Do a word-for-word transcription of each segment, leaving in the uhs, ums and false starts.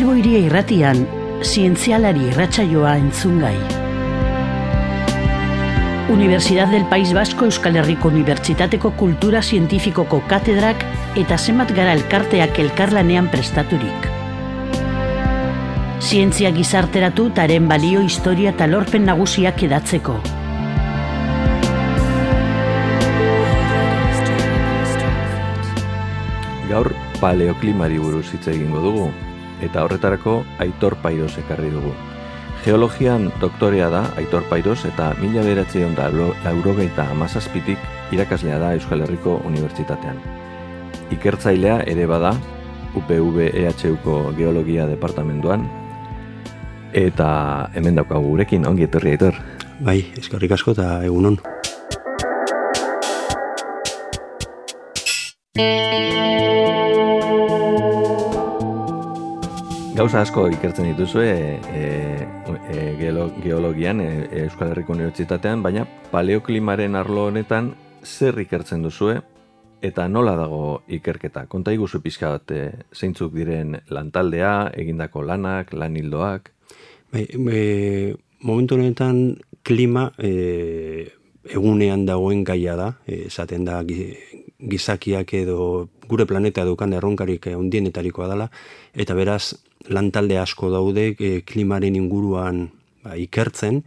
Bilbo Hiria Irratian, zientzialari irratsaioa entzungai. Universidad del País Vasco Euskal Herriko Unibertsitateko Kultura Zientifikoko katedrak eta zenbat gara elkarteak elkarlanean prestaturik. Zientzia gizarteratu taren balio, historia eta lorpen nagusiak edatzeko. Gaur paleoklimari buruz hitz egingo dugu, eta horretarako Aitor Pairos ekarri dugu. Geologian doktorea da Aitor Pairos eta mila bederatziehun eta laurogeita hamazazpitik irakaslea da Euskal Herriko Unibertsitatean. Ikertzailea ere bada U P V E H Uko Geologia Departamentuan, eta hemen daukagu gurekin, ongi etorri Aitor. Bai, eskerrik asko eta egunon. Gauza asko ikertzen dituzue e, e, geolo, geologian e, Euskal Herriko Unibertsitatean, baina paleoklimaren arlo honetan zer ikertzen duzue eta nola dago ikerketa? Konta iguzu pixka bat e, zeintzuk diren lantaldea, egindako lanak, lan hildoak? Bai, e, momentu honetan klima e, egunean dagoen gaia da, e, esaten da gizakiak edo gure planeta daukan erronkarik handienetarikoa dela, eta beraz lantalde asko daude e, klimaren inguruan ba, ikertzen,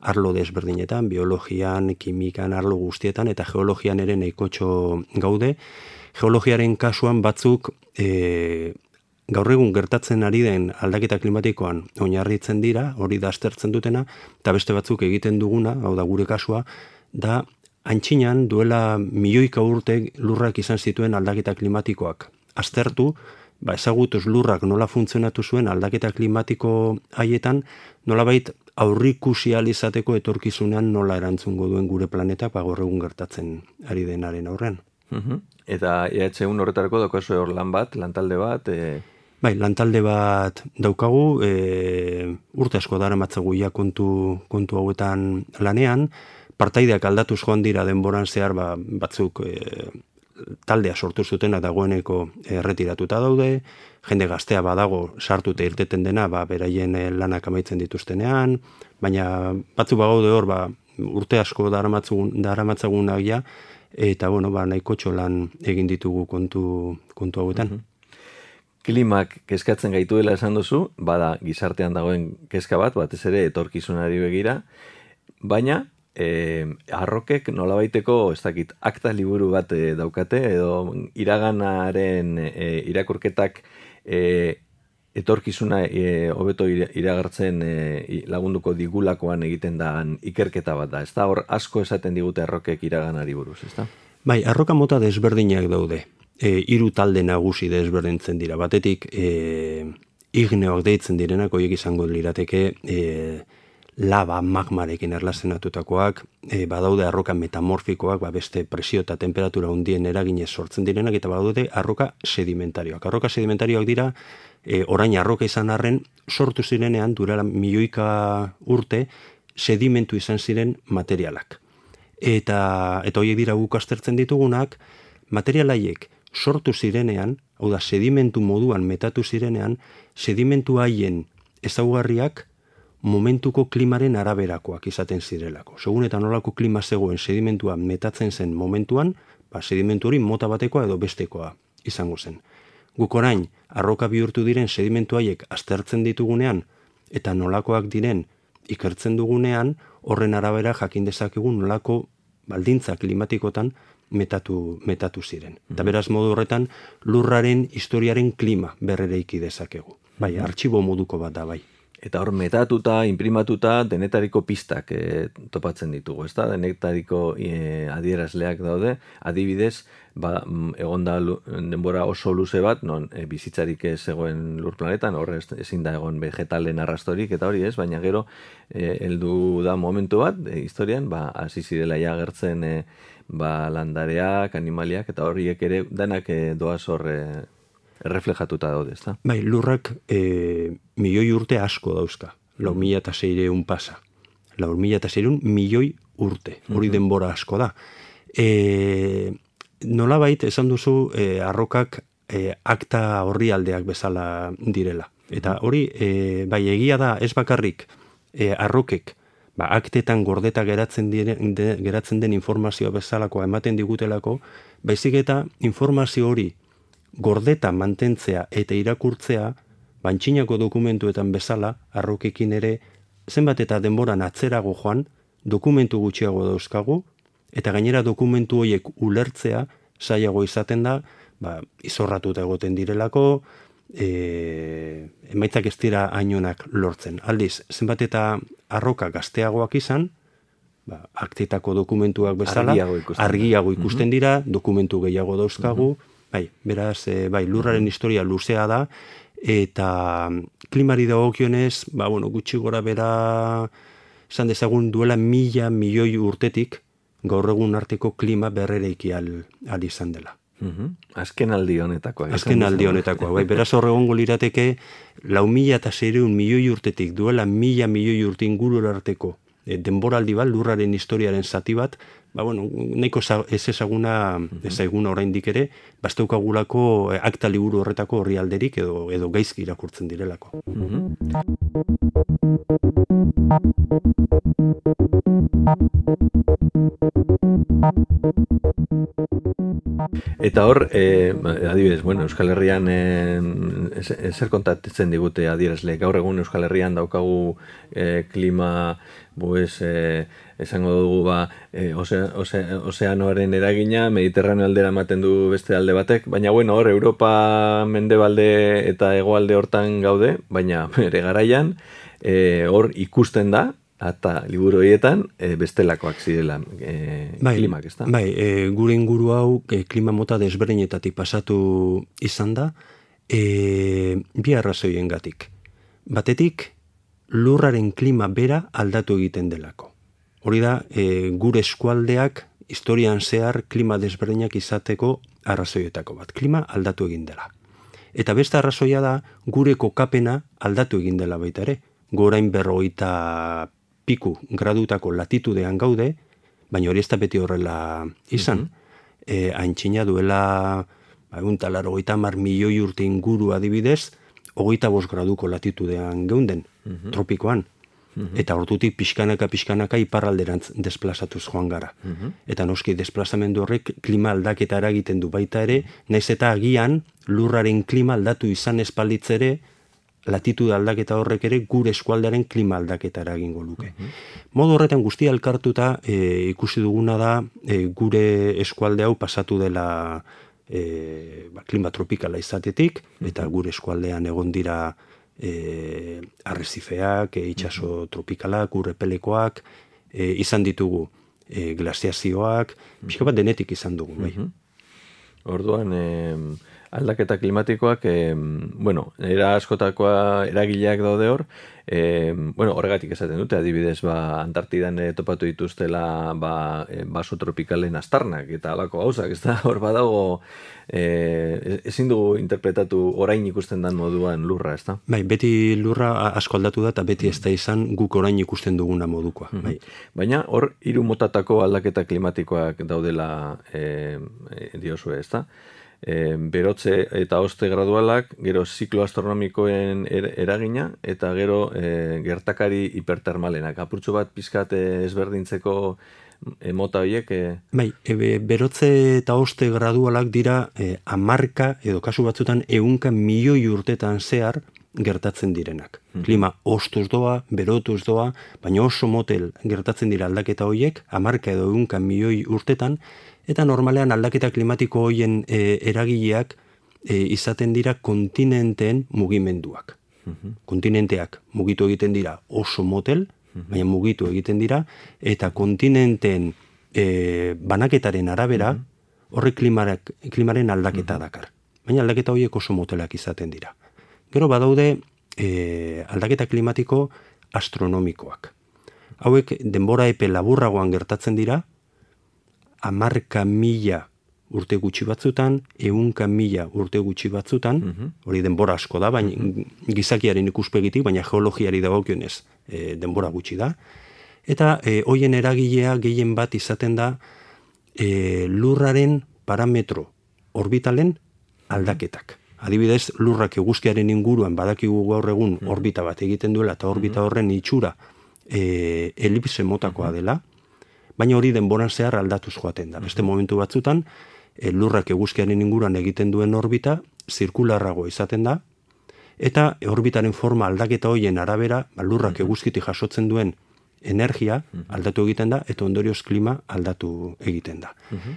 arlo desberdinetan, biologian, kimikan, arlo guztietan, eta geologian ere nahikotxo gaude. Geologiaren kasuan batzuk e, gaur egun gertatzen ari den aldaketa klimatikoan oinarritzen dira, hori da aztertzen dutena, eta beste batzuk egiten duguna, hau da gure kasua, da antxinan duela milioika urte lurrak izan zituen aldaketa klimatikoak aztertu, ba, ezagutuz lurrak nola funtzionatu zuen aldaketa klimatiko haietan, nolabait aurrikusi ahal izateko etorkizunean nola erantzungo duen gure planeta ba, gaur egun gertatzen ari denaren aurrean. Uh-huh. Eta E H U horretarako daukazu hor lan bat, lantalde bat? E... Bai, lantalde bat daukagu, e, urte asko daramatzagu ja kontu, kontu hauetan lanean, partaideak aldatuz joan dira denboran zehar ba, batzuk e, taldea sortu zutena dagoeneko erretiratuta daude, jende gaztea badago sartuta irteten dena, ba, beraien lanak amaitzen dituztenean, baina batzu bagaude hor, ba, urte asko daramatzagunak ja, eta bueno, ba, nahikotxo lan egin ditugu kontu, kontu hauetan. Uh-huh. Klimak kezkatzen gaituela esan duzu, bada gizartean dagoen kezka bat, batez ere etorkizunari begira, baina E, arrokek nolabaiteko, ez dakit, akta liburu bat e, daukate, edo iraganaren e, irakurketak e, etorkizuna e, hobeto iragartzen e, lagunduko digulakoan egiten da ikerketa bat da, ez da? Hor asko esaten digute arrokek iraganari buruz, ez da? Bai, arroka mota desberdinak daude, e, hiru talde nagusi desberdintzen dira, batetik e, igneoak deitzen direnak, horiek izango lirateke e, laba magmarekin erlazionatutakoak, e, badaude arroka metamorfikoak, ba beste presio eta temperatura handien eraginez sortzen direnak, eta badaude arroka sedimentarioak. Arroka sedimentarioak dira, e, orain arroka izan arren, sortu zirenean, durala milioika urte, sedimentu izan ziren materialak. Eta, eta horiek dira guk aztertzen ditugunak, materialaiek sortu zirenean, hau da, sedimentu moduan metatu zirenean, sedimentu haien ezaugarriak momentuko klimaren araberakoak izaten zirelako. Segun eta nolako klima zegoen sedimentua metatzen zen momentuan, ba, sedimentu hori mota batekoa edo bestekoa izango zen. Guk orain, arroka bihurtu diren sedimentu haiek aztertzen ditugunean, eta nolakoak diren ikertzen dugunean, horren arabera jakin dezakegu nolako baldintza klimatikotan metatu, metatu ziren. Mm-hmm. Eta beraz modu horretan, lurraren historiaren klima berrereiki dezakegu. Bai, artxibo moduko bat da, bai. Eta hor metatuta, imprimatuta, denetariko pistak e, topatzen ditugu, ezta? Denetariko e, adierazleak daude, adibidez, ba, egon da denbora oso luze bat, non e, bizitzarik ez egoen lur planetan, hor ezin da egon vegetalen arrastorik, eta hori ez, baina gero e, heldu da momentu bat, e, historian, ba, hasi zirela ja agertzen e, ba, landareak, animaliak, eta horiek ere danak e, doaz hor e, erreflejatuta daude, ezta? Bai, lurrak e, milioi urte asko dauzka. Lau mila eta seireun pasa. Lau mila eta seireun milioi urte. Hori denbora asko da. E, nolabait, esan duzu, e, arrokak e, akta horri aldeak bezala direla. Eta hori, e, bai egia da ez bakarrik e, arrokek, ba, aktetan gordeta geratzen, dire, de, geratzen den informazioa bezalakoa ematen digutelako, baizik eta informazio hori gordeta mantentzea eta irakurtzea, bantxinako dokumentuetan bezala, arrokekin ere, zenbat eta denboran atzerago joan, dokumentu gutxiago dauzkagu, eta gainera dokumentu horiek ulertzea zailago izaten da, ba, izorratuta egoten direlako, e, emaitzak ez dira hainonak lortzen. Aldiz, zenbat eta arroka gazteagoak izan, ba, aktetako dokumentuak bezala, argiago ikusten, argiago ikusten dira, dokumentu gehiago dauzkagu, uh-huh. bai, beraz, e, bai, lurraren historia luzea da, eta klimari dagokionez, ba, bueno, gutxi gora bera, esan dezagun duela mila milioi urtetik, gaur egun arteko klima berrereiki al, al izan dela. Uh-huh. Azken aldi honetakoa. Azken aldi honetakoa. Bai, beraz hor egongo lirateke, lau mila eta seiehun milioi urtetik duela mila milioi urte inguru arteko e, denboraldi bat, lurraren historiaren zati bat, ba, bueno, nahiko ez ezaguna, ezaguna oraindik ere, basteukagulako akta liburu horretako horri alderik edo, edo gaizki irakurtzen direlako. Uh-huh. Eta hor, eh, adibidez, bueno, Euskal Herrian eh, ezer kontatzen digute adierazle. Gaur egun Euskal Herrian daukagu eh, klima, pues, eh, esango dugu ba, eh, ose, ose, ozeanoaren eragina, Mediterraneo aldera ematen du beste alde batek, baina bueno, hor Europa mendebalde eta hegoalde hortan gaude, baina bere garaian, eh, hor ikusten da, eta liburu horietan e, bestelakoak zirela e, bai, klimak, ez da? Bai, e, gure inguru hau e, klima mota desberdinetatik pasatu izan da, e, bi arrazoiengatik. Batetik, lurraren klima bera aldatu egiten delako. Hori da, e, gure eskualdeak historian zehar klima desberdinak izateko arrazoietako bat. Klima aldatu egin dela. Eta beste arrazoia da, gure kokapena aldatu egin dela baita ere. Gorain berrogeita piku gradutako latitudean gaude, baina hori ez da beti horrela izan. Mm-hmm. e, Antxina duela egun talaro hogeita hamar milioi urte inguru adibidez, hogeita bost graduko latitudean geunden, mm-hmm. tropikoan. Mm-hmm. Eta ordutik pixkanaka pixkanaka iparralderantz desplazatuz joan gara. Mm-hmm. Eta noski desplazamendu horrek klima aldaketa eragiten du baita ere, naiz eta agian lurraren klima aldatu izan espalitz ere, latitude aldaketa horrek ere gure eskualdearen klima aldaketa eragingo luke. Uh-huh. Modu horretan guztia elkartuta e, ikusi duguna da e, gure eskualde hau pasatu dela e, ba, klima tropikala izatetik, uh-huh. eta gure eskualdean egon dira e, arrezifeak, e, itxaso uh-huh. tropikalak, urrepelekoak, e, izan ditugu e, glaziazioak, uh-huh. pixka bat denetik izan dugu. Bai. Uh-huh. Orduan, eh, aldaketa klimatikoak, eh, bueno, era askotakoa eragileak daude hor, eh, bueno, horregatik esaten dute, adibidez, ba, Antartidan eh, topatu dituztela ba, eh, baso tropikalen astarnak, eta alako gauzak, ez da, hor badago, eh, ezin dugu interpretatu orain ikusten dan moduan lurra, ez da? Bai, beti lurra asko aldatu da, eta beti ez da izan guk orain ikusten duguna modukoa. Mm-hmm. Bai. Baina hor, hiru motatako aldaketa klimatikoak daudela eh, diozue, ez da? E, berotze eta hoste gradualak, gero ziklo astronomikoen er, eragina, eta gero e, gertakari hipertermalenak. Apurtxo bat pizkat ezberdintzeko e, mota horiek? E... Bai, e, berotze eta hoste gradualak dira e, amarka, edo kasu batzutan ehunka milioi urtetan zehar gertatzen direnak. Hmm. Klima hostuz doa, berotuz doa, baina oso motel gertatzen dira aldaketa horiek, amarka edo ehunka milioi urtetan, eta normalean aldaketa klimatiko horien e, eragileak e, izaten dira kontinenteen mugimenduak. Uh-huh. Kontinenteak mugitu egiten dira oso motel, uh-huh. baina mugitu egiten dira, eta kontinenteen e, banaketaren arabera horrek klimarak, klimaren aldaketa uh-huh. dakar. Baina aldaketa horiek oso motelak izaten dira. Gero badaude e, aldaketa klimatiko astronomikoak. Hauek denbora epe laburragoan gertatzen dira, amarka mila urte gutxi batzutan, ehunka mila urte gutxi batzutan, uh-huh. hori denbora asko da, baina uh-huh. gizakiaren ikuspegitik, baina geologiari dagokionez e, denbora gutxi da. Eta e, hoien eragilea gehien bat izaten da e, lurraren parametro orbitalen aldaketak. Adibidez, lurrak eguzkiaren inguruan badakigu gaur egun orbita bat egiten duela, eta orbita horren itxura e, elipse motakoa dela, baina hori denboran zehar aldatuz joaten da. Beste momentu batzutan, e, lurrak eguzkiaren inguruan egiten duen orbita, zirkularrago izaten da, eta orbitaren forma aldaketa hoien arabera, ba, lurrak eguzkitik jasotzen duen energia aldatu egiten da, eta ondorioz klima aldatu egiten da.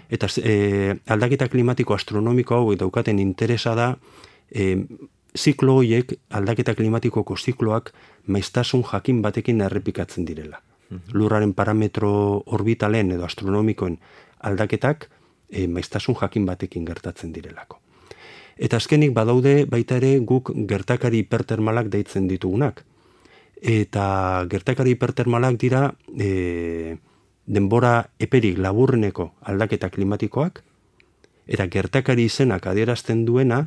Eta e, aldaketa klimatiko astronomiko hau daukaten interesa da, e, ziklo horiek, aldaketa klimatikoko zikloak, maiztasun jakin batekin errepikatzen direla. Lurraren parametro orbitalen edo astronomikoen aldaketak, e, maiztasun jakin batekin gertatzen direlako. Eta azkenik badaude baita ere guk gertakari hipertermalak deitzen ditugunak. Eta gertakari hipertermalak dira e, denbora eperik laburreneko aldaketa klimatikoak, eta gertakari izenak adierazten duena,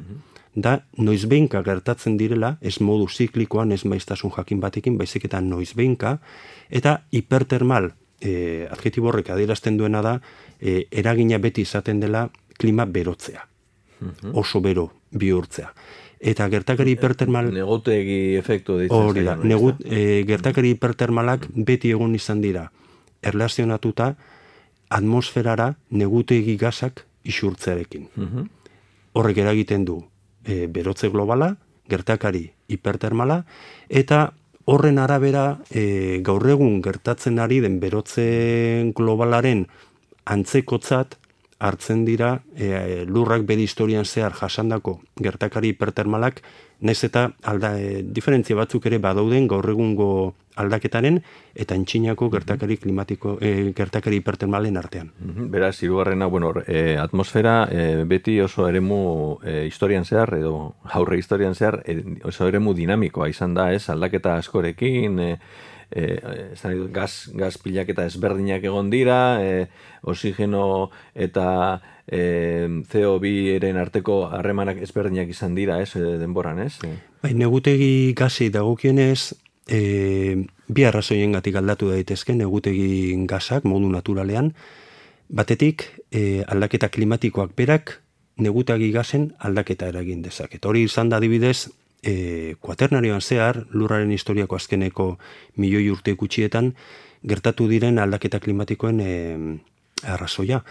da noizbeinka gertatzen direla, ez modu ziklikoan, ez maiztasun jakin batekin, baizik eta noizbeinka, eta hipertermal e, adjektibo horrek adierazten duena da, e, eragina beti izaten dela klima berotzea. Oso bero bihurtzea. Eta gertakari hipertermal... Negutegi efektu ditzen. Hori da, negut, e, gertakari hipertermalak beti egon izan dira erlazionatuta atmosferara negutegi gasak isurtzearekin. Horrek eragiten du e, berotze globala, gertakari hipertermala, eta horren arabera e, gaur egun gertatzen ari den berotze globalaren antzekotzat hartzen dira e, lurrak bere historian zehar jasandako gertakari hipertermalak, naiz eta alda, e, diferentzia batzuk ere badauden gaur egungo aldaketaren eta antzinako gertakari klimatiko e, gertakari hipertermalen artean. Beraz, hirugarrena, bueno, e, atmosfera e, beti oso eremu e, historian zehar edo aurre historian zehar e, oso eremu dinamikoa izan da, ez? Aldaketa askorekin, e, E, gaz, gaz pilaketa ezberdinak egon dira, e, oxigeno eta e, C O bi eren arteko harremanak ezberdinak izan dira, ez, denboran, ez? Bai, negutegi gazi dagokienez, e, bi arrazoiengatik aldatu daitezke negutegi gazak modu naturalean, batetik e, aldaketa klimatikoak berak negutegi gazen aldaketa eragin dezaket. Hori izan da adibidez, E, kuaternarioan zehar, lurraren historiako azkeneko milioi urte gutxietan gertatu diren aldaketa klimatikoen e, arrazoia.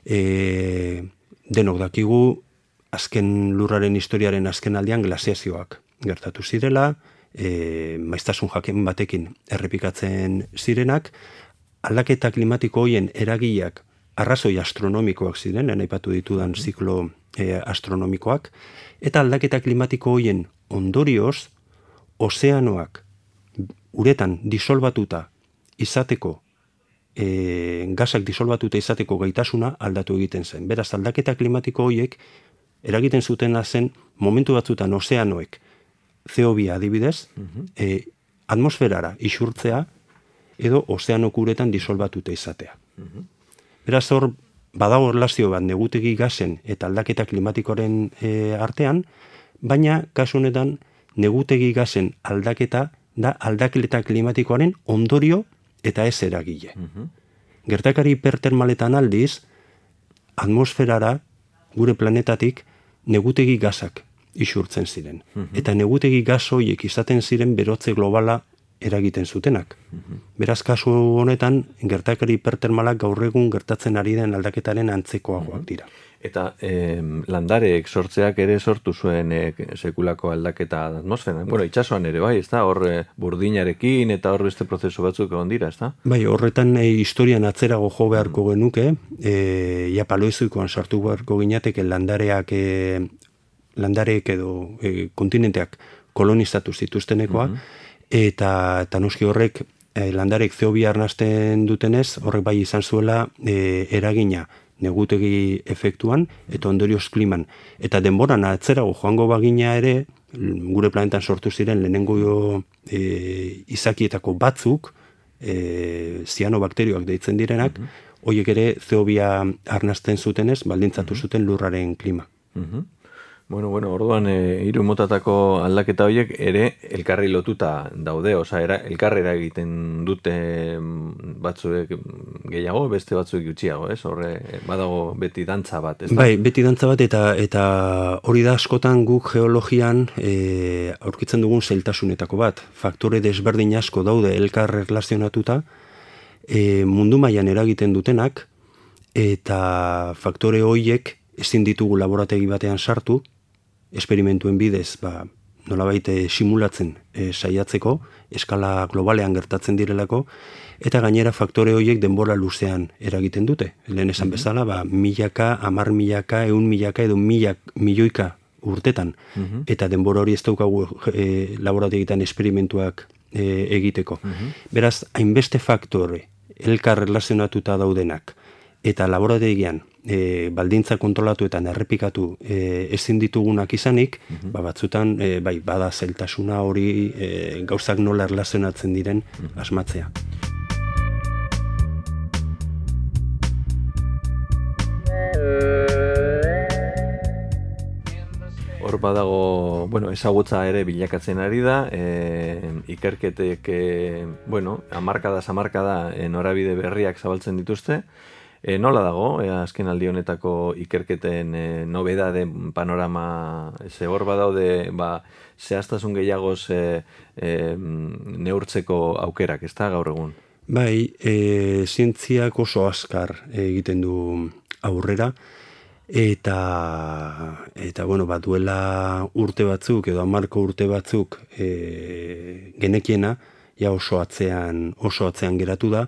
E, denok dakigu, azken lurraren historiaren azken aldean glaziazioak gertatu zirela, e, maiztasun jakin batekin errepikatzen zirenak, aldaketa klimatiko hoien eragileak arrazoi astronomikoak ziren, aipatu ditudan ziklo e, astronomikoak, eta aldaketa klimatiko hoien ondorioz, ozeanoak uretan disolbatuta izateko, e, gazak disolbatuta izateko gaitasuna aldatu egiten zen. Beraz, aldaketa klimatiko horiek eragiten zutena zen momentu batzutan ozeanoek C O bi adibidez, e, atmosferara isurtzea edo ozeanok uretan disolbatuta izatea. Beraz, hor badago erlazio bat negutegi gazen eta aldaketa klimatikoaren e, artean, baina kasu honetan negutegi gazen aldaketa da aldaketa klimatikoaren ondorio eta ez eragile. Gertakari hipertermaletan aldiz, atmosferara gure planetatik negutegi gazak isurtzen ziren. Eta negutegi gaz horiek izaten ziren berotze globala eragiten zutenak. Beraz, kasu honetan, gertakari hipertermalak gaur egun gertatzen ari den aldaketaren antzekoagoak dira. Eta eh, landareek sortzeak ere sortu zuen eh, sekulako aldaketa atmosferan. Bueno, itxasuan ere bai, ez da? Hor eh, burdinarekin eta hor beste prozesu batzuk egon dira, ez da? Bai, horretan eh, historian atzerago jo beharko genuke, eh, ja paloizuikoan sartu beharko ginateke landareak, eh, landareek edo eh, kontinenteak kolonizatu zituztenekoa, eta, eta noski horrek eh, landarek C O bi arnasten dutenez, horrek bai izan zuela eh, eragina negutegi efektuan eta ondorioz kliman. Eta denboran atzerago joango bagina ere, gure planetan sortu ziren lehenengo e, izakietako batzuk, e, zianobakterioak deitzen direnak, horiek ere C O bi arnasten zutenez, baldintzatu zuten lurraren klima. Bueno, bueno, orduan e, hiru motatako aldaketa horiek ere elkarri lotuta daude, osea, era elkarrera egiten dute batzuek gehiago, beste batzuek gutxiago, ez? Horre badago beti dantza bat, ez da? Bai, beti dantza bat eta eta hori da askotan guk geologian e, aurkitzen dugun zailtasunetako bat. Faktore desberdin asko daude elkar erlazionatuta e, mundu mailan eragiten dutenak eta faktore horiek ezin ditugu laborategi batean sartu, esperimentuen bidez, ba, nolabait simulatzen e, saiatzeko, eskala globalean gertatzen direlako, eta gainera faktore horiek denbora luzean eragiten dute. Lehen esan bezala, ba, milaka, hamar milaka, ehun milaka edo milak, milioika urtetan. Uh-huh. Eta denbora hori ez daukagu e, laborategitan esperimentuak e, egiteko. Uh-huh. Beraz, hainbeste faktore elkar relazionatuta daudenak, eta laborategian e, baldintza kontrolatuetan errepikatu e, ezin ditugunak izanik, uh-huh. ba, batzutan e, bai, bada zailtasuna hori e, gauzak nola erlazionatzen diren uh-huh. asmatzea. Hor badago, bueno, ezagutza ere bilakatzen ari da, e, ikerketek, e, bueno, hamarkada, hamarkada e, norabide berriak zabaltzen dituzte. E, nola dago, e, azken aldi honetako ikerketen e, nobedade panorama, ze hor badaude, ba, zehaztasun gehiagoz e, e, neurtzeko aukerak, ez da, gaur egun? Bai, e, zientziak oso azkar egiten du aurrera, eta, eta bueno, bat duela urte batzuk, edo hamarko urte batzuk e, genekiena, ja oso atzean, oso atzean geratu da,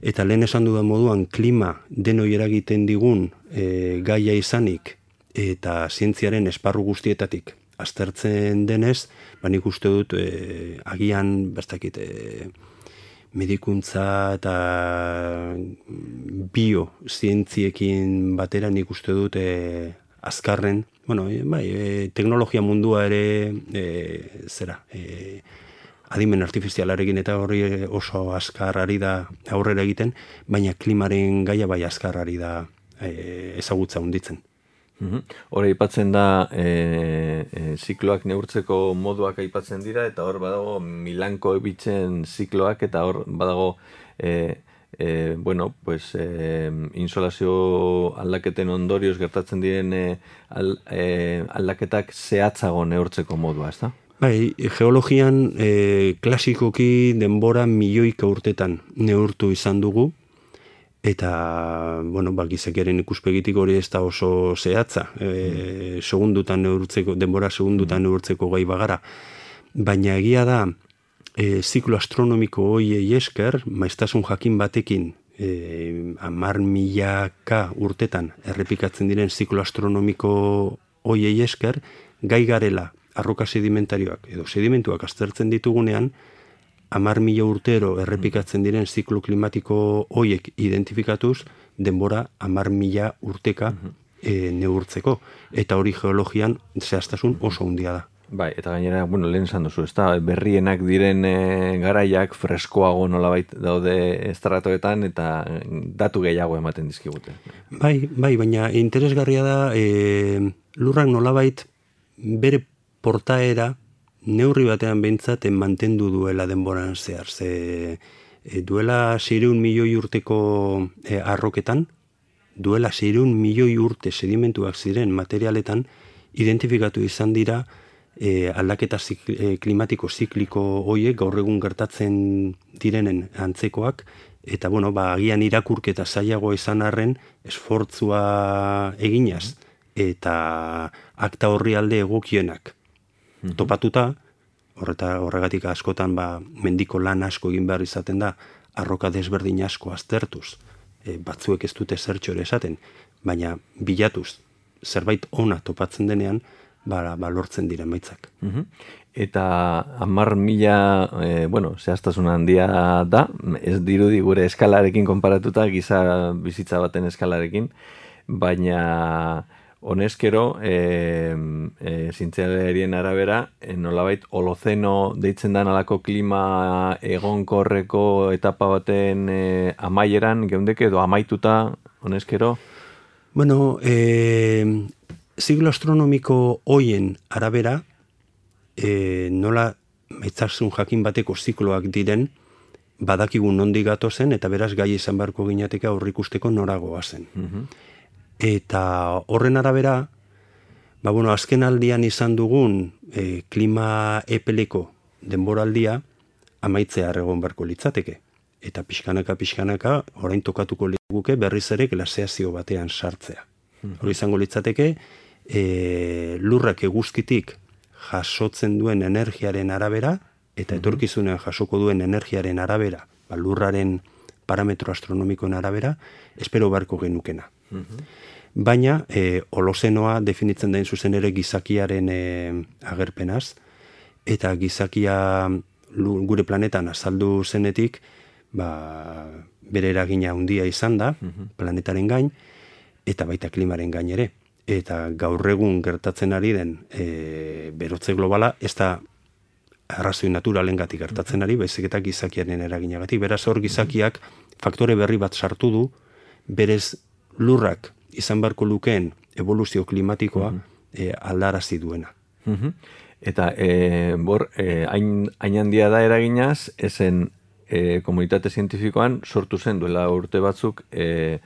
eta lehen esan dudan moduan klima denoi eragiten digun e, gaia izanik eta zientziaren esparru guztietatik aztertzen denez, ba nik uste dut e, agian bestakit e, medikuntza eta biozientziekin batera nik uste dut e, azkarren, bueno, e, bai, e, teknologia mundua ere e, zera, e, adimen artifizialarekin eta horri oso azkar ari da aurrera egiten, baina klimaren gaia bai azkar ari da e, ezagutza hunditzen. Hor aipatzen da e, e, zikloak neurtzeko moduak aipatzen dira, eta hor badago Milanko bitzen zikloak, eta hor badago e, e, bueno, pues, e, insolazio aldaketen ondorioz gertatzen diren e, al, e, aldaketak zehatzago neurtzeko modua, ez da? Bai, geologian e, klasikoki denbora milioika urtetan neurtu izan dugu, eta, bueno, ba, gizakeren ikuspegitik hori ez da oso zehatza, e, segundutan neurtzeko, denbora segundutan neurtzeko gai bagara. Baina egia da, e, ziklo astronomiko hoiei esker, maiztasun jakin batekin, e, hamar milaka urtetan errepikatzen diren ziklo astronomiko hoiei esker, gai garela, arroka sedimentarioak edo sedimentuak aztertzen ditugunean, hamar mila urtero errepikatzen diren ziklo klimatiko hoiek identifikatuz, denbora hamar mila urteka e, neurtzeko. Eta hori geologian zehaztasun oso handia da. Bai, eta gainera, bueno, lehen esan duzu, ez da, berrienak diren e, garaiak freskoago nolabait daude estratoetan eta datu gehiago ematen dizkigute. Bai, bai, baina interesgarria da e, lurrak nolabait bere portaera neurri batean behintzat mantendu duela denboran zehar. Ze, e, duela seiehun milioi urteko e, arroketan, duela seiehun milioi urte sedimentuak ziren materialetan, identifikatu izan dira e, aldaketa zikli, e, klimatiko zikliko hoiek gaur egun gertatzen direnen antzekoak, eta bueno, ba, agian irakurketa zailago izan arren, esfortzua eginaz, eta akta horri alde egokienak topatuta, horreta horregatik askotan ba, mendiko lan asko egin behar izaten da, arroka desberdin asko aztertuz, e, batzuek ez dute zertxo ere esaten, baina bilatuz zerbait ona topatzen denean, ba, ba lortzen dira emaitzak. Uh-huh. Eta hamar mila, e, bueno, zehaztasun handia da, ez dirudi gure eskalarekin konparatuta, giza bizitza baten eskalarekin, baina honezkero, e, e, zientzialarien arabera, e, nolabait holozeno deitzen da alako klima egonkorreko etapa baten e, amaieran, geundeke edo amaituta honezkero? Bueno, e, ziklo astronomiko hoien arabera, e, nola maitzarsun jakin bateko zikloak diren, badakigun nondik gatozen, eta beraz gai izan beharko ginateke aurrikusteko noragoa zen. Mhm. Eta horren arabera, ba, bueno, azken aldian izan dugun e, klima epeleko denboraldia amaitzea egon beharko litzateke. Eta pixkanaka, pixkanaka, orain tokatuko liguke berriz ere glaseazio batean sartzea. Mhm. Hori izango litzateke, e, lurrak eguzkitik jasotzen duen energiaren arabera, eta etorkizunean jasoko duen energiaren arabera, ba, lurraren parametro astronomikoen arabera, espero beharko genukena. Mhm. Baina, e, holozenoa definitzen den zuzen ere gizakiaren e, agerpenaz, eta gizakia lu- gure planetan azaldu zenetik, ba, bere eragina handia izan da, planetaren gain, eta baita klimaren gain ere. Eta gaur egun gertatzen ari den e, berotze globala, ez da arrazoi naturalengatik gertatzen ari, baizik eta gizakiaren eraginagatik. Beraz hor gizakiak faktore berri bat sartu du, berez lurrak izan beharko lukeen evoluzio klimatikoa e, aldarazi duena. Mhm. Eta e, bor, e, hain, hain handia da eraginaz, ezen e, komunitate zientifikoan sortu zen duela urte batzuk e,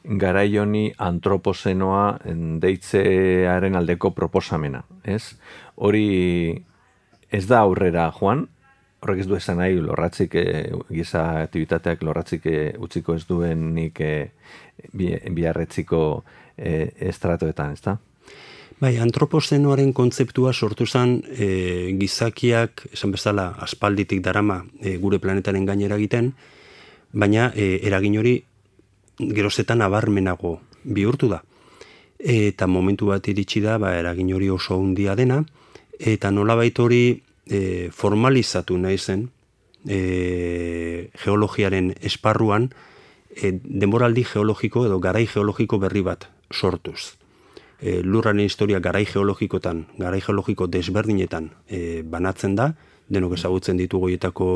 garai honi antropozenoa deitzearen aldeko proposamena, ez? Hori ez da aurrera joan, horrek ez du esan nahi lorratzik, e, giza aktibitateak lorratzik e, utziko ez duenik e, bi, biarretziko e, estratoetan, ez da? Bai, antropozenoaren kontzeptua sortu zen e, gizakiak, esan bezala, aspalditik darama e, gure planetaren gainera egiten, baina e, eragin hori gerozetan abarmenago bihurtu da. Eta momentu bat iritsi da, ba, eragin hori oso handia dena, eta nolabait hori e, formalizatu nahi zen e, geologiaren esparruan e, denboraldi geologiko edo garai geologiko berri bat sortuz. E, lurraren historia garai geologikotan, garai geologiko desberdinetan e, banatzen da, denok ezagutzen ditugu horietako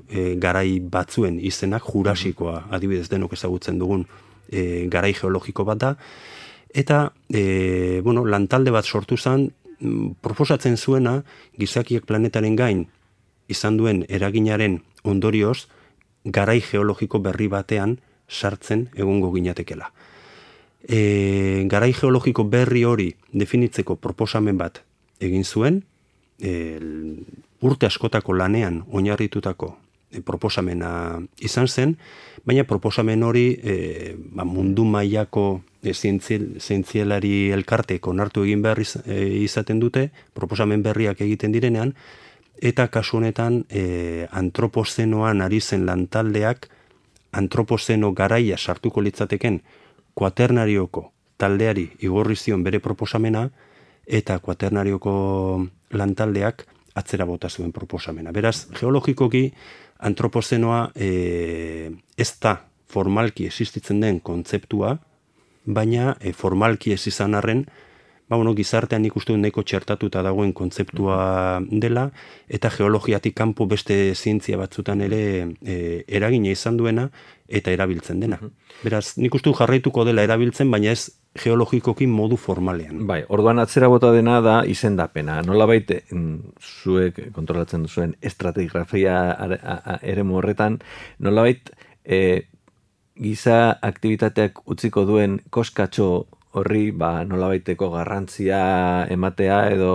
e, garai batzuen izenak, jurasikoa adibidez denok ezagutzen dugun e, garai geologiko bat da, eta e, bueno, lantalde bat sortu zen, proposatzen zuena gizakiak planetaren gain izan duen eraginaren ondorioz garai geologiko berri batean sartzen egongo ginatekela. E, garai geologiko berri hori definitzeko proposamen bat egin zuen, e, urte askotako lanean oinarritutako e, proposamena izan zen, baina proposamen hori e, ba, mundu mailako e, zientziel, zientzialari elkartek onartu egin behar iz, e, izaten dute, proposamen berriak egiten direnean, eta kasu honetan e, antropozenoan ari zen lantaldeak antropozeno garaia sartuko litzateken kuaternarioko taldeari igorri zion bere proposamena, eta kuaternarioko lantaldeak atzera bota zuen proposamena. Beraz, geologikoki antropozenoa e, ez da formalki existitzen den kontzeptua, baina e, formalki ez izan arren, ba, bueno, gizartean ikustu nahiko txertatuta dagoen kontzeptua dela, eta geologiatik kanpo beste zientzia batzutan ere e, eragina izan duena, eta erabiltzen dena. Beraz, nik uste jarraituko dela erabiltzen, baina ez geologikoki modu formalean. Bai, orduan atzera bota dena da izendapena. Nolabait zuek kontrolatzen duzuen estratigrafia eremu horretan, nolabait e, giza aktibitateak utziko duen koskatxo horri ba, nolabaiteko garrantzia ematea edo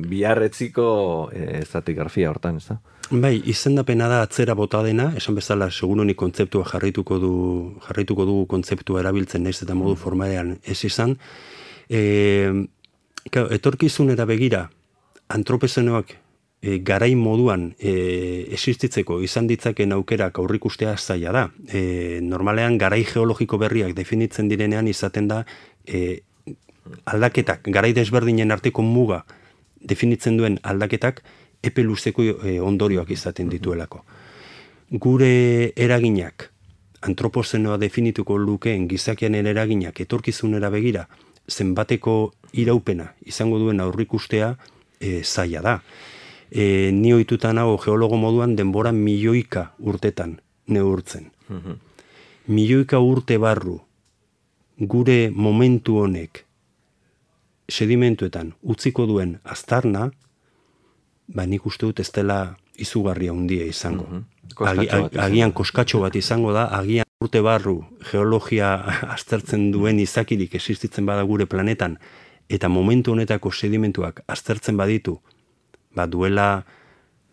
biarretziko e, estratigrafia hortan, ez da? Bai, izendapena da atzera bota dena, esan bezala segurunik kontzeptua jarraituko du jarraituko dugu kontzeptua erabiltzen naiz eta modu formalean ez izan. E, etorkizunera begira antropozenoak e, garai moduan e, existitzeko izan ditzaken aukerak aurrikustea zaila da. E, normalean garai geologiko berriak definitzen direnean izaten da e, aldaketak, garai desberdinen arteko muga definitzen duen aldaketak epe luzeko e, ondorioak izaten dituelako. Gure eraginak, antropozenoa definituko lukeen gizakianen eraginak etorkizunera begira, zenbateko iraupena izango duen aurrikustea e, zaila da. E, ni ohituta nago geologo moduan denbora milioika urtetan neurtzen. Mm-hmm. Milioika urte barru gure momentu honek sedimentuetan utziko duen aztarna, ba nik uste dut ez dela izugarria handia izango. Mm-hmm. Agi, ag, agian koskatxo bat izango da, agian urte barru geologia aztertzen duen izakirik existitzen bada gure planetan, eta momentu honetako sedimentuak aztertzen baditu, ba duela,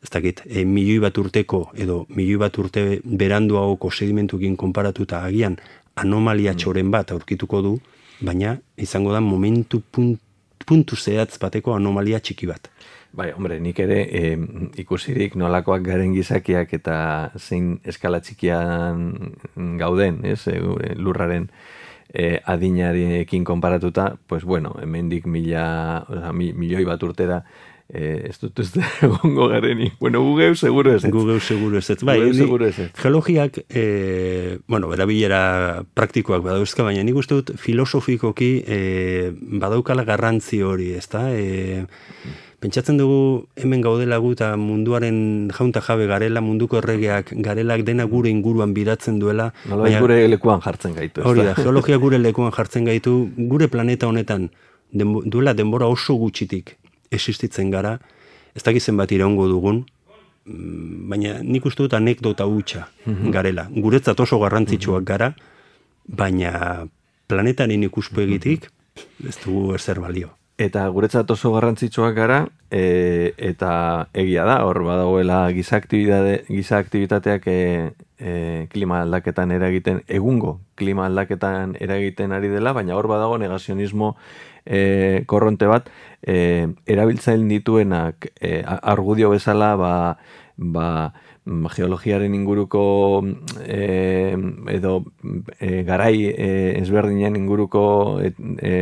ez dakit, e, milioi bat urteko edo milioi bat urte beranduagoko sedimentuekin konparatuta agian anomalia txoren bat aurkituko du, baina izango da momentu punt, puntu zehatz bateko anomalia txiki bat. Bai, hombre, nik ere e, ikusirik nolakoak garen gizakiak eta zein eskala txikian gauden, ez, e, lurraren e, adinarekin konparatuta, pues bueno, hemendik mila, oza, mi, milioi bat urtera, Eh, ez dut ez egongo garenik. Bueno, gugeu seguro ez ez. Gugeu seguro ez ez. Bai, seguro ez ez. Geologiak, eh, bueno, erabilera praktikoak badauzka, baina nik uste dut filosofikoki eh, badaukala garrantzi hori, ezta? Eh, pentsatzen dugu hemen gaudela gu eta munduaren jaunta jabe garela, munduko erregeak garelak dena gure inguruan biratzen duela. Nola gure lekuan jartzen gaitu. Hori da, geologia gure lekuan jartzen gaitu, gure planeta honetan denbo, duela denbora oso gutxitik existitzen gara, ez dakit zenbat iraungo dugun, baina nik uste dut anekdota hutsa garela. Guretzat oso garrantzitsuak gara, baina planetaren ikuspegitik ez dugu ezer balio. Eta guretzat oso garrantzitsuak gara, e, eta egia da, hor badagoela giza aktibitate, giza aktivitateak e, e, klima aldaketan eragiten, egungo klima aldaketan eragiten ari dela, baina hor badago negazionismo e, korronte bat, e, erabiltzaile dituenak e, argudio bezala, ba, ba, geologiaren inguruko e, edo e, garai e, ezberdinen inguruko e, e,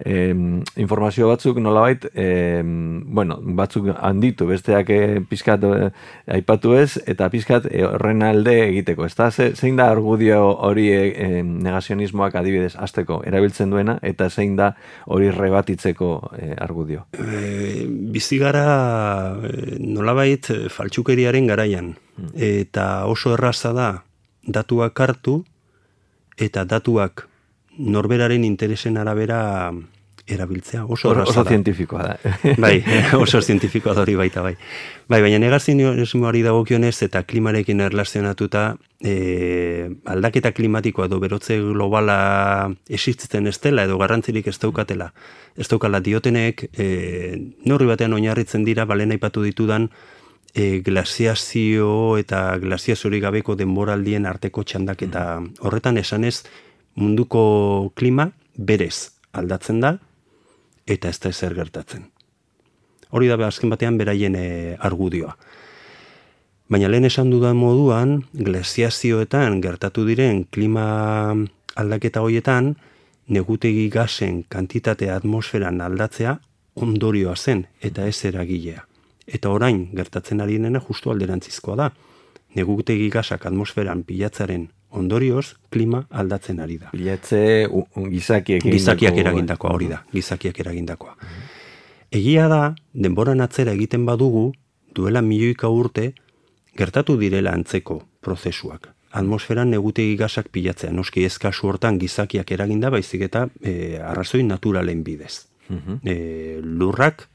e, informazio batzuk nolabait e, bueno, batzuk handitu, besteak e, pizkat e, aipatu ez, eta pizkat e, horren alde egiteko, ezta? Ze, zein da argudio hori e, negazionismoak adibidez hasteko erabiltzen duena, eta zein da hori rebatitzeko e, argudio? E, bizi gara e, nolabait faltsukeriaren garaian, eta oso erraza da datuak hartu eta datuak norberaren interesen arabera erabiltzea. Oso erraza da. Oso zientifikoa da. Bai, oso zientifikoa da hori baita bai. Bai, baina negazionismoari dagokionez eta klimarekin erlazionatuta e, aldaketa klimatikoa edo berotze globala existitzen ez dela edo garrantzirik ez daukatela. Ez daukala diotenek e, neurri batean oinarritzen dira balen aipatu ditudan E, glaziazio eta glaziaziorik gabeko denboraldien arteko txandaketa horretan esanez munduko klima berez aldatzen da eta ez da ezer gertatzen. Hori da azken batean beraien e, argudioa. Baina lehen esan dudan moduan glaziazioetan gertatu diren klima aldaketa horietan negutegi gasen kantitatea atmosferan aldatzea ondorioa zen eta ez eragilea. Eta orain gertatzen ari dena justu alderantzizkoa da. Negutegi gasak atmosferan pilatzaren ondorioz klima aldatzen ari da. Pilatze gizakiek gizakiak eragindakoa hori da, gizakiak eragindakoa. Egia da, denboran atzera egiten badugu, duela milioika urte gertatu direla antzeko prozesuak. Atmosferan negutegi gasak pilatzea, noski ez kasu hortan gizakiak eraginda, baizik eta e, arrazoi naturalen bidez. Uh-huh. E, lurrak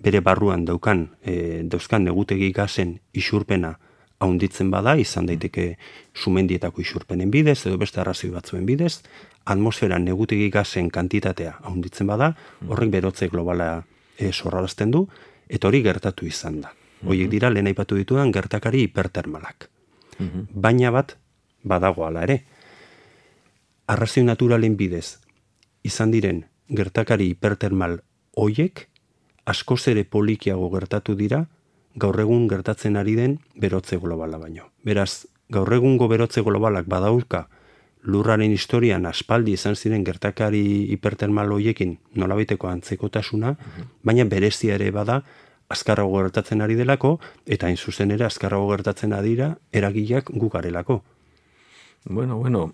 bere barruan daukan, e, dauzkan negutegi gasen isurpena haunditzen bada, izan daiteke sumendietako isurpenen bidez, edo beste arrazoi batzuen bidez, atmosferan negutegi gasen kantitatea haunditzen bada, horrek berotze globala e, sorrarazten du, eta hori gertatu izan da. Horiek dira, lehen aipatu ditudan, gertakari hipertermalak. Uh-huh. Baina bat, badago ala ere. Arrazoi naturalen bidez, izan diren gertakari hipertermal horiek, askoz ere polikiago gertatu dira, gaur egun gertatzen ari den berotze globala baino. Beraz, gaur egungo berotze globalak badauka lurraren historian aspaldi izan ziren gertakari hipertermal horiekin nolabaiteko antzekotasuna, uh-huh. baina berezia ere bada azkarrago gertatzen ari delako, eta hain zuzen ere azkarrago gertatzen adira eragileak gu garelako. Bueno, bueno,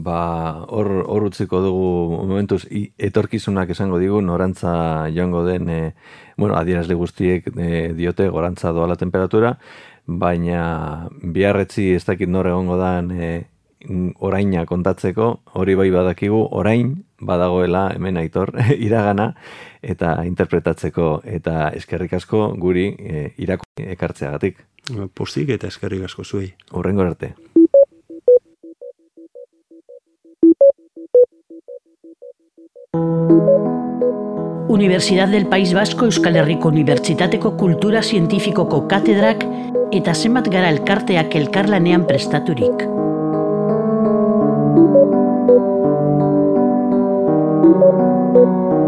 ba, hor, hor utziko dugu momentuz, etorkizunak esango digu, norantza joango den, e, bueno, adierazle guztiek e, diote gorantza doala temperatura, baina biharretzi ez dakit nor egongo dan e, oraina kontatzeko, hori bai badakigu, orain badagoela hemen Aitor iragana eta interpretatzeko, eta eskerrik asko guri e, irako ekartzeagatik. Pozik eta eskerrik asko zuei. Hurrengo arte. Universidad del País Vasco Euskal Herriko Unibertsitateko Kultura Zientifikoko katedrak eta zenbat gara elkarteak elkarlanean prestaturik. Thank you.